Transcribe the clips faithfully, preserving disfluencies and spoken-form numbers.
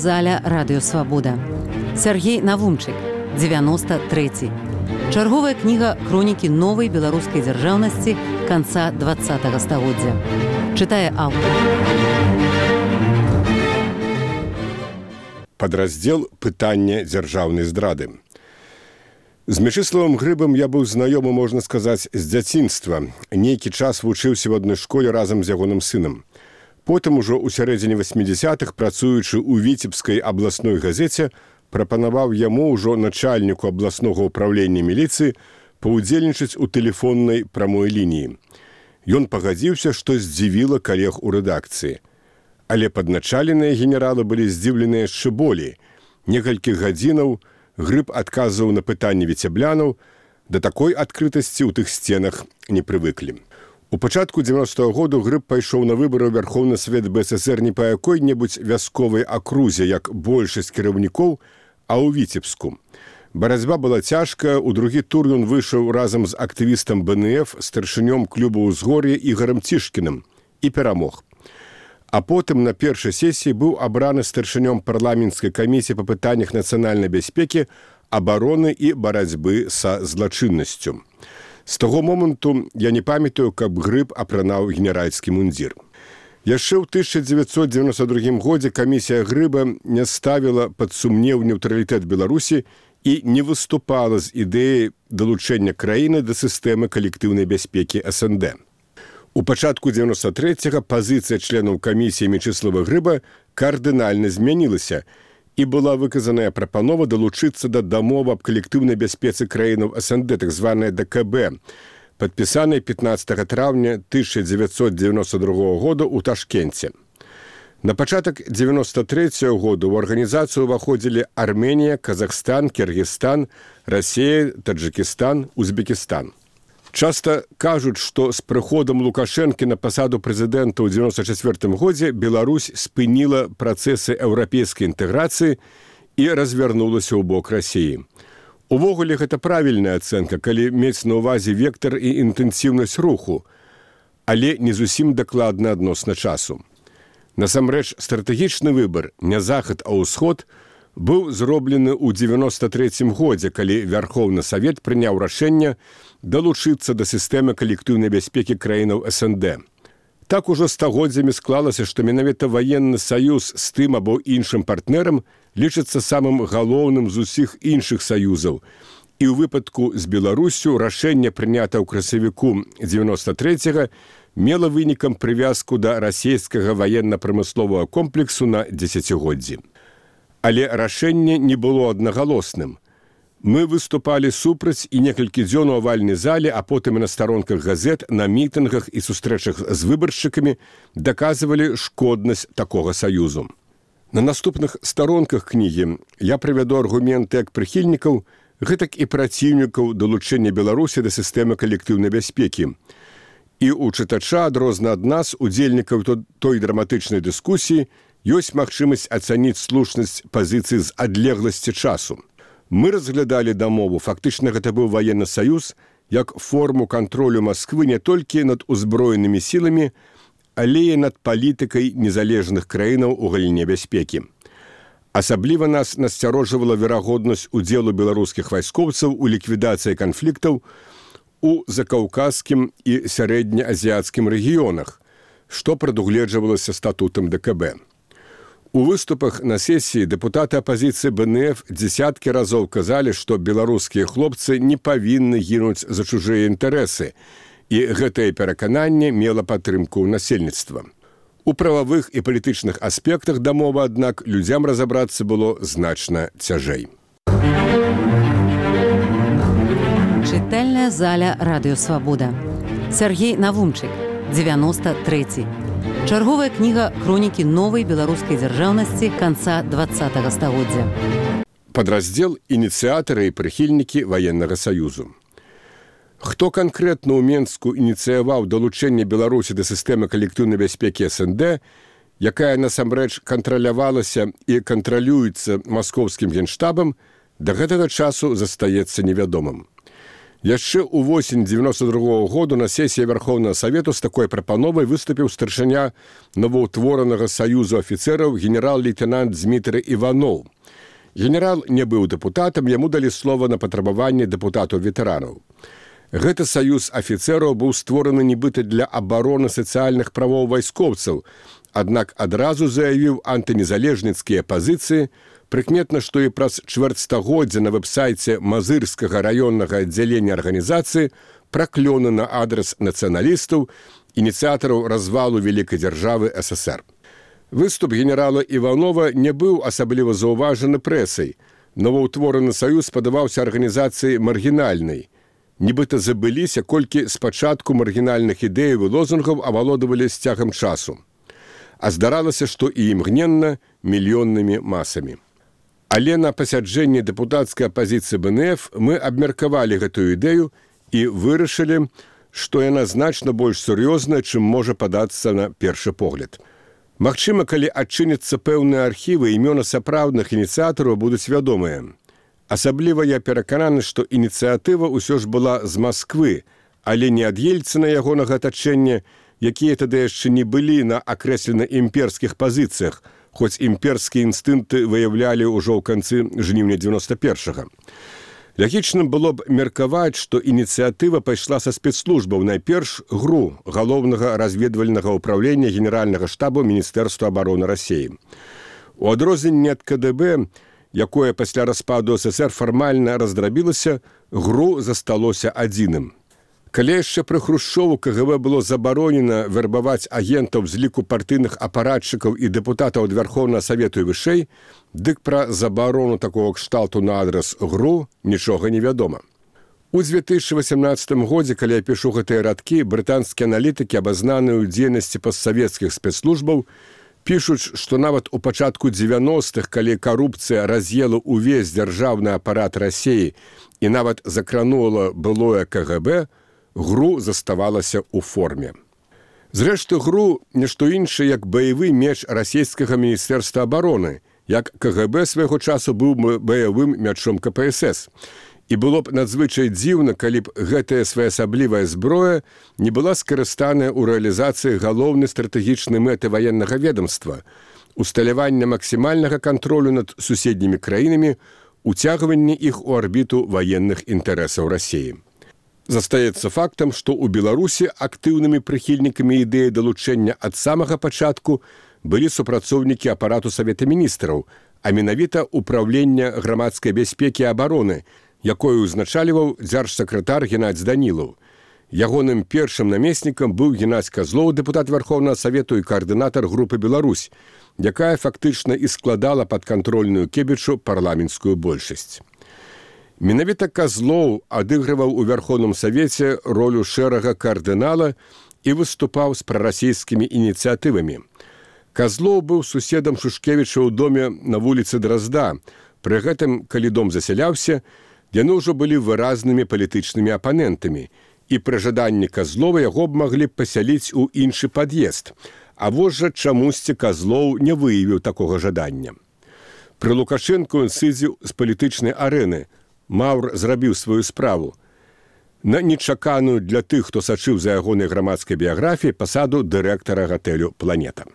заля радыёвабода. Сяргей Навумчык, дзевяносто трэці. Чарговая кніга хронікі новай беларускай дзяржаўнасці канца двадцатага стагоддзя. Чытае аўтар. Падраздзел «Пытанне дзяржаўнай здрады». З Мячыславам Грыбам я быў знаёмы, можна сказаць, з дзяцінства. Нейкі час вучыўся ў адной школе разам з ягоным сынам. Потым ужо ў сярэдзіне васьмідзясятых, працуючы ў Віцебскай абласной газеце, прапанаваў яму ўжо начальніку абласнога ўпраўлення міліцыі паўдзельнічаць у тэлефоннай прамой лініі. Ён пагадзіўся, што здзівіла калег у рэдакцыі. Але падначаленыя генералы былі здзіўленыя яшчэ болей. Некалькі гадзінаў Грыб адказваў на пытанні віцеблянаў, да такой адкрытасці ў тых сценах не прывыклі. У пачатку дзевяностага году Грыб пайшоў на выбары ў Вярхоўны Савет БССР не па якой-небудзь вясковай акрузе, як большасць кіраўнікоў, а ў Віцебску. Барацьба была цяжкая, у другі тур ён выйшаў разам з актывістам БНФ, старшынём клуба ўзгор'я Ігарам Цішкіным і перамог. А потым на першай сесіі быў абраны старшынём парламенцкай камісіі па пытаннях нацыянальнай бяспекі, абароны і барацьбы са злачыннасцю. З таго моманту я не памятаю, каб Грыб апранаў генеральскі мундзір. Яшчэ ў тысяча дзевяцьсот дзевяносто другім годзе камісія Грыба не ставіла пад сумнеў нейтралітэт Беларусі і не выступала з ідэяй далучэння краіны да сістэмы калектыўнай бяспекі эс эн дэ. У пачатку дзевяносто трэцяга пазіцыя членаў камісіі Мячыслава Грыба кардынальна змянілася і была выказаная прапанова далучыцца да дамовы аб калектыўнай бяспецы краінаў эс эн дэ, так званая дэ ка бэ, падпісанай пятнаццатага траўня тысяча дзевяцьсот дзевяносто другога года ў Ташкенце. На пачатак дзевяносто трэцяга года ў арганізацыю ўваходзілі Арменія, Казахстан, Кіргізстан, Расія, Таджыкістан, Узбекістан. Часта кажуць, што з прыходам Лукашэнкі на пасаду прэзідэнта ў дзевяносто чацвёртым годзе Беларусь спыніла працэсы еўрапейскай інтэграцыі і развярнулася ў бок Расіі. Увогуле, гэта правільная ацэнка, калі мець на ўвазе вектар і інтэнсіўнасць руху, але не зусім дакладна адносна часу. Насамрэч, стратэгічны выбар, не захад, а ўсход, быў зроблены ў дзевяносто трэцім годзе, калі Вярхоўны Савет прыняў рашэнне далучыцца да сістэмы калектыўнай бяспекі краінаў эс эн дэ. Так ужо стагоддзямі склалася, што менавіта ваенны саюз з тым або іншым партнерам лічыцца самым галоўным з усіх іншых саюзаў. І ў выпадку з Беларусю рашэнне, прынята ў красавіку дзевяносто трэцяга, мела вынікам прывязку да расійскага ваенна-прамысловага комплексу на дзесяцігоддзі. Але рашэнне не было аднагалосным. Мы выступалі супраць і некалькі дзён у авальнай зале, а потым і на старонках газет, на мітынгах і сустрэчах з выбаршчыкамі даказвалі шкоднасць такога саюзу. На наступных старонках кнігі я прывяду аргументы як прыхільнікаў, гэтак і праціўнікаў далучэння Беларусі да сістэмы калектыўнай бяспекі. І ў чытача, адрозна ад нас, удзельнікаў той драматычнай дыскусіі, ёсць магчымасць ацаніць слушнасць пазіцыі з адлегласці часу. Мы разглядалі дамову, фактычна гэта быў ваенны саюз, як форму кантролю Масквы не толькі над узброенымі сіламі, але і над палітыкай незалежных краінаў у галіне бяспекі. Асабліва нас насцярожвала верагоднасць удзелу беларускіх вайскоўцаў у ліквідацыі канфліктаў у закаўказскім і сярэднеазіяцкім рэгіёнах, што прадугледжвалася статутам дэ ка бэ. У выступах на сесіі дэпутаты апазіцыі бэ эн эф дзесяткі разоў казалі, што беларускія хлопцы не павінны гінуць за чужыя інтарэсы, і гэтае перакананне мела падтрымку ў насельніцтва. У прававых і палітычных аспектах дамовы, аднак, людзям разабрацца было значна цяжэй. Чытальная заля радыёвабода. Сяргей Навумчык, дзевяносто трэці. Чарговая кніга хронікі новай беларускай дзяржаўнасці канца двадцатага стагоддзя. Падраздзел «Ініцыятары і прыхільнікі ваеннага саюзу». Хто канкрэтна ў Менску ініцыяваў далучэнне Беларусі да сістэмы калектыўнай бяспекі эс эн дэ, якая насамрэч кантралявалася і кантралюецца маскоўскім генштабам, да гэтага часу застаецца невядомым. Яшчэ ў восень девяносто другого году на сесіі Верховнага Савету з такой прапановай выступіў старшыня новаўтворанага саюзу афіцэраў генерал-лейтенант Дмітрый Іваноў. Генерал не быў дэпутатам, яму далі слова на патрабаванне дэпутатаў-ветэранаў. Гэты саюз афіцэраў быў створаны нібыта для абароны сацыяльных правоў вайскоўцаў, аднак адразу заявіў антынезалежніцкія пазіцыі. Прыкметна, што і праз чвэрцьстагоддзя на вэб-сайце Мазырскага раённага аддзялення арганізацыі праклёны на адрас нацыяналістаў, ініцыятараў развалу вялікай дзяржавы эс эс эр. Выступ генерала Іванова не быў асабліва заўважаны прэсай. Новаўтвораны саюз падаваўся арганізацыі маргінальнай. Нібыта забыліся, колькі спачатку маргінальных ідэяў і лозунгаў авалодавалі з цягам часу. А здаралася, што і імгненна мільённымі масамі. Але на пасяджэнні дэпутацкай апазіцыі бэ эн эф мы абмеркавалі гэтую ідэю і вырашылі, што яна значна больш сур'ёзная, чым можа падацца на першы погляд. Магчыма, калі адчыняцца пэўныя архівы, імёны сапраўдных ініцыятараў будуць вядомыя. Асабліва я перакананы, што ініцыятыва ўсё ж была з Масквы, але не ад Ельцына ягонага атачэння, якія тады яшчэ не былі на акрэслена імперскіх пазіцыях, хоць імперскія інстынкты выяўлялі ўжо ў канцы жніўня девяносто першага. Лагічным было б меркаваць, што ініцыятыва пайшла са спецслужбаў, найперш ГРУ, галоўнага разведвальнага ўпраўлення генеральнага штабу Міністэрства абароны Расіі. У адрозненне ад ка дэ бэ, якое пасля распаду эс эс эр фармальна раздрабілася, ГРУ засталося адзіным. Калі яшчэ пры Хрушчову ка гэ бэ было забаронена вярбаваць агентаў з ліку партыйных апаратчыкаў і дэпутатаў ад Верховнага Савету і вышэй, дык пра забарону такога кшталту на адрас ГРУ нічога не вядома. У две тысячи восемнадцатым годзе, калі я пішу гэтыя радкі, брытанскія аналітыкі, абазнаныя ў дзейнасці постсавецкіх спецслужбаў, пішуць, што нават у пачатку дзевяностых, калі карупцыя раз'ела ўвесь дзяржаўны апарат Расіі і нават закранула былое ка гэ бэ, ГРУ заставалася ў форме. Зрэшты, ГРУ не што іншае, як баявы меч расійскага міністэрства абароны, як ка гэ бэ свайго часу быў баявым мячом ка пэ эс эс. І было б надзвычай дзіўна, калі б гэтая своеасаблівая зброя не была скарыстаная ў рэалізацыі галоўнай стратэгічнай мэты ваеннага ведомства, усталявання максімальнага кантролю над суседнімі краінамі, уцягванне іх у арбіту ваенных інтарэсаў Расіі. Застаецца фактам, што ў Беларусі актыўнымі прыхільнікамі ідэі далучэння ад самага пачатку былі супрацоўнікі апарату Савета міністраў, а менавіта ўпраўлення грамадскай бяспекі і абароны, якое ўзначальваў дзяржсакратар Геннадзь Данілаў. Ягоным першым намеснікам быў Геннадзь Казлоў, дэпутат Верховнага Савету і каардынатар групы «Беларусь», якая фактычна і складала падкантрольную Кебічу парламенцкую большасць. Менавіта Казлоў адыгрываў у Верховным Савеце ролю шэрага кардынала і выступаў з прарасійскімі ініцыятывамі. Казлоў быў суседам Шушкевіча ў доме на вуліцы Дразда. Пры гэтым, калі дом засяляўся, яны ўжо былі выразнымі палітычнымі апанентамі, і пры жаданні Казлова яго б маглі б пасяліць у іншы пад'езд. А вось жа чамусьці Казлоў не выявіў такога жадання. Пры Лукашэнку ён сыдзеў з палітычнай арэны. Маўр зрабіў сваю справу. На нечаканую для тых, хто сачыў за ягонай грамадскай біяграфіяй, пасаду дырэктара гатэлю «Планета».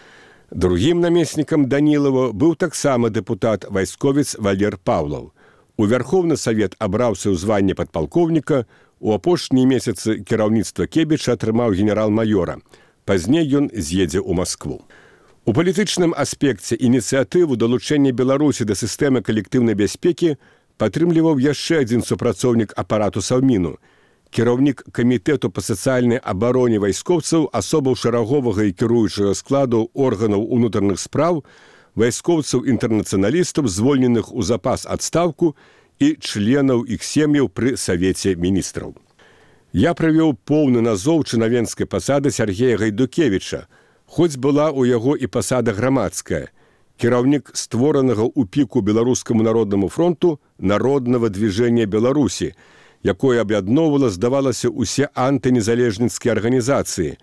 Другім намеснікам Данілава быў таксама дэпутат вайсковец Валер Паўлаў. У Верховны Савет абраўся ў званне падпалкоўніка, у апошнія месяцы кіраўніцтва Кебіча атрымаў генерал-маёра. Пазней ён з'едзе ў Маскву. У палітычным аспекце ініцыятыву далучэння Беларусі да сістэмы калектыўнай бяспекі падтрымліваў яшчэ адзін супрацоўнік апарату Саўміну, кіраўнік камітэту па сацыяльнай абароне вайскоўцаў, асобаў шараговага і кіруючага складу органаў унутраных спраў, вайскоўцаў-інтэрнацыяналістаў, звольненых у запас адстаўку і членаў іх сем'яў пры Савеце міністраў. Я правёў поўны назоў чынавенскай пасады Сяргея Гайдукевіча, хоць была ў яго і пасада грамадская, кіраўнік створанага ў піку Беларускаму народнаму фронту Народнага движення Беларусі, якое аб'ядноўвала, здавалася, усе антынезалежніцкія арганізацыі,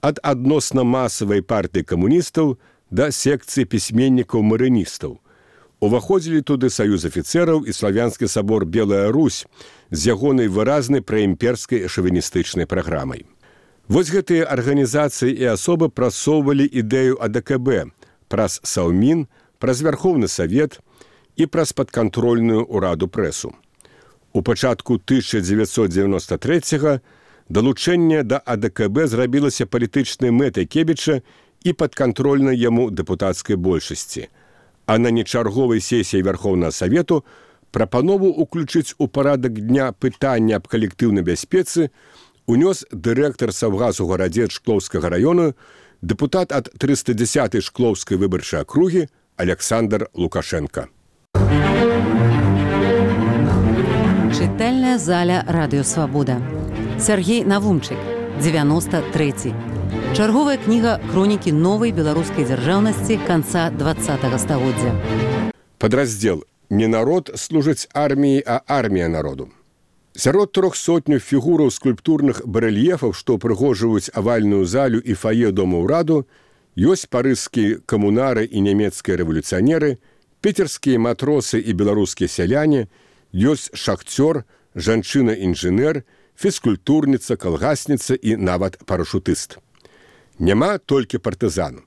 ад адносна масавай партыі камуністаў да секцыі пісьменнікаў-марыністаў. Уваходзілі туды саюз афіцэраў і славянскі сабор Белая Русь з ягонай выразнай праімперскай шавіністычнай праграмай. Вось гэтыя арганізацыі і асобы прасоўвалі ідэю А Дэ Ка Бэ праз Саўмін, праз Вярхоўны Савет і праз падкантрольную ўраду прэсу. У пачатку тысяча дзевяцьсот дзевяноста трэцяга далучэнне да А Дэ Ка Бэ зрабілася палітычнай мэтай Кебіча і падкантрольнай яму дэпутацкай большасці. А на нечарговай сесіі Вярхоўнага Савету прапанову ўключыць у парадак дня пытання аб калектыўнай бяспецы унёс дырэктар Саўгасу гарадзет Шклоўскага раёну, дэпутат ад трыста дзесятай Шклоўскай выбарчай акругі Александр Лукашенко. Чытальная заля Радыё Свабода. Сергей Навумчык, дзевяноста трэці. Чарговая кніга хронікі новай беларускай дзяржаўнасці канца двадцатага стагоддзя. Падраздзел «Не народ служыць арміі, а армія народу». Сярод трох сотню фігураў скульптурных барэльефаў, што прыгожваюць авальную залю і фае дома ўраду, ёсць парызскія камунары і нямецкія рэвалюцыянеры, піцерскія матросы і беларускія сяляне, ёсць шахцёр, жанчына-інжынер, фізкультурніца, калгасніца і нават парашутыст. Няма толькі партызан.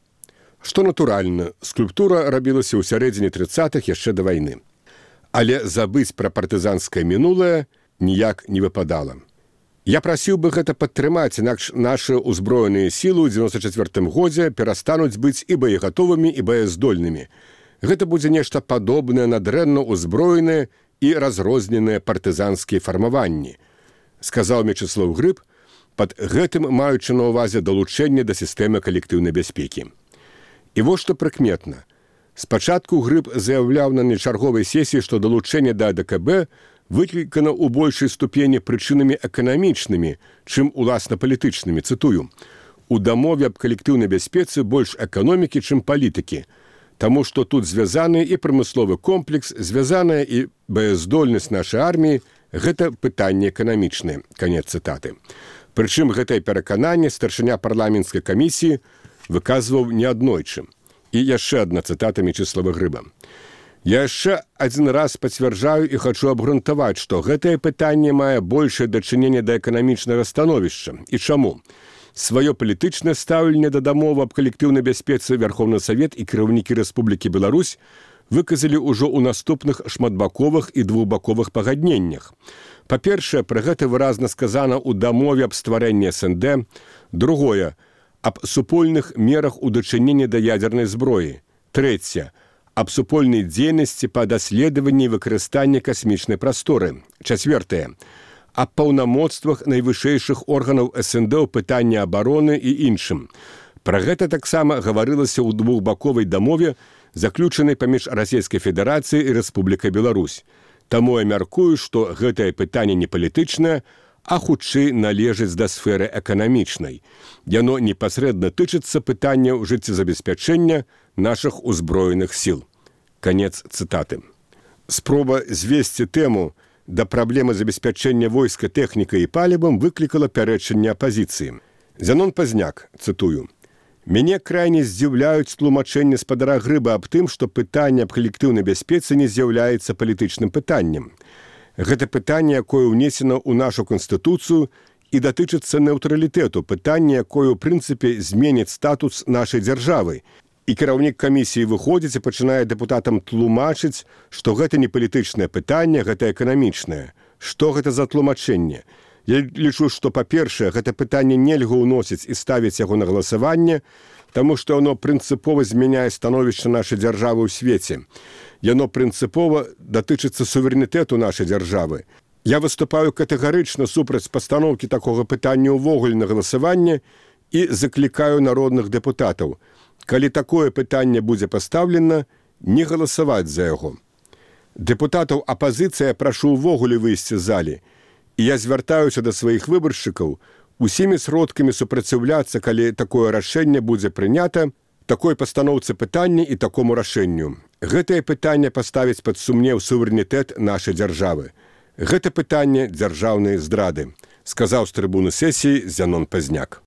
Што натуральна, скульптура рабілася ў сярэдзіне трыццатых яшчэ да вайны. Але забыць пра партызанскае мінулае ніяк не выпадала. Я прасіў бы гэта падтрымаць, інакш нашы ўзброеныя сілы ў дзевяноста чацвёртым годзе перастануць быць і боегатовымі, і боездольнымі. Гэта будзе нешта падобнае на дрэнна ўзброеныя і разрозненыя партызанскія фармаванні, сказаў Мечыслаў Грыб, пад гэтым маючы на ўвазе далучэнне да сістэмы калектыўнай бяспекі. І вось што прыкметна. Спачатку Грыб заяўляў на нечарговай сесіі, што далучэнне да А Дэ Ка Бэ выклікана ў большай ступені прычынамі эканамічнымі, чым уласна палітычнымі, цытую. У дамове аб калектыўнай бяспецы больш эканомікі, чым палітыкі, таму што тут звязаны і прамысловы комплекс, звязаная і баяздольнасць нашай арміі, гэта пытанне эканамічнае. Канец цытаты. Прычым гэтае перакананне старшыня парламенцкай камісіі выказваў неаднойчы. І яшчэ адна цытата Мечыслава Грыба. Я яшчэ адзін раз пацвярджаю і хачу абгрунтаваць, што гэтае пытанне мае большае дачыненне да эканамічнага становішча. І чаму? Сваё палітычнае стаўленне да дамовы аб калектыўнай бяспецы Вярхоўны Савет і кіраўнікі Рэспублікі Беларусь выказалі ўжо ў наступных шматбаковых і двухбаковых пагадненнях. Па-першае, пра гэта выразна сказана ў дамове аб стварэнні Эс Эн Дэ. Другое, аб супольных мерах у дачыненні да ядзернай зброі. Трэцяе, аб супольнай дзейнасці па даследаванні і выкарыстанні касмічнай прасторы. Чацвёртае, аб паўнамоцтвах найвышэйшых органаў Эс Эн Дэ ў пытанні абароны і іншым. Пра гэта таксама гаварылася ў двухбаковай дамове, заключанай паміж Расійскай Федэрацыяй і Рэспублікай Беларусь. Таму я мяркую, што гэтае пытанне не палітычнае, а хутчэй належыць да сферы эканамічнай. Яно непасрэдна тычыцца пытанняў жыццезабеспячэння нашых узброеных сіл. Канец цытаты. Спроба звесці тэму да праблемы забеспячэння войска тэхнікай і палівам выклікала пярэчанне апазіцыі. Зянон Пазняк, цытую, «Мяне крайне здзіўляюць тлумачэнні спадара Грыба аб тым, што пытанне аб калектыўнай бяспецы не з'яўляецца палітычным пытаннем. Гэта пытанне, якое ўнесена ў нашу Канстытуцыю і датычыцца нейтралітэту, пытанне, якое, у прынцыпе, зменіць статус нашай дзяржавы. І кіраўнік камісіі выходзіць і пачынае дэпутатам тлумачыць, што гэта не палітычнае пытанне, гэта эканамічнае. Што гэта за тлумачэнне? Я лічу, што, па-першае, гэта пытанне нельга ўносіць і ставіць яго на галасаванне, таму што яно прынцыпова змяняе становішча нашай дзяржавы ў свеце. Яно прынцыпова датычыцца суверэнітэту нашай дзяржавы. Я выступаю катэгарычна супраць пастаноўкі такога пытання ўвогуле на галасаванне і заклікаю народных дэпутатаў. Калі такое пытанне будзе пастаўлена, не галасаваць за яго. Дэпутатаў апазіцыя прашу ўвогуле выйсці з залі. І я звяртаюся да сваіх выбаршчыкаў усімі сродкамі супраціўляцца, калі такое рашэнне будзе прынята, такой пастаноўцы пытання і такому рашэнню. Гэтае пытанне паставіць пад сумнеў суверэнітэт нашай дзяржавы. Гэта пытанне дзяржаўнай здрады, сказаў з трыбуны сесіі Зянон Пазняк.